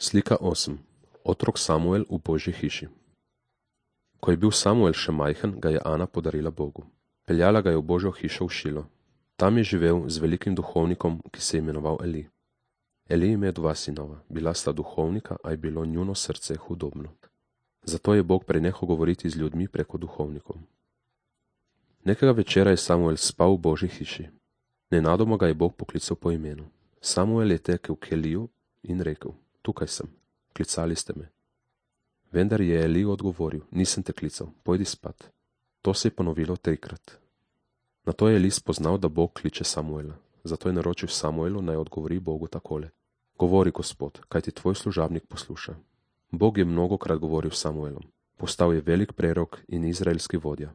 Slika 8. Otrok Samuel v Božji hiši. Ko je bil Samuel še majhen, ga je Ana podarila Bogu. Peljala ga je v Božjo hišo v Šilo. Tam je živel z velikim duhovnikom, ki se je imenoval Eli. Eli ima 2 sinova, bila sta duhovnika, a je bilo njuno srce hudobno. Zato je Bog prenehal govoriti z ljudmi preko duhovnikov. Nekega večera je Samuel spal v Božji hiši. Nenadoma ga je Bog poklical po imenu. Samuel je tekel k Eliju in rekel: Tukaj sem, klicali ste me. Vendar je Eli odgovoril: Nisem te klical, pojdi spat. To se je ponovilo 3-krat. Nato je Eli spoznal, da Bog kliče Samuela. Zato je naročil Samuelu, naj odgovori Bogu takole: Govori, Gospod, kajti tvoj služabnik posluša. Bog je mnogokrat govoril s Samuelom. Postal je velik prerok in izraelski vodja.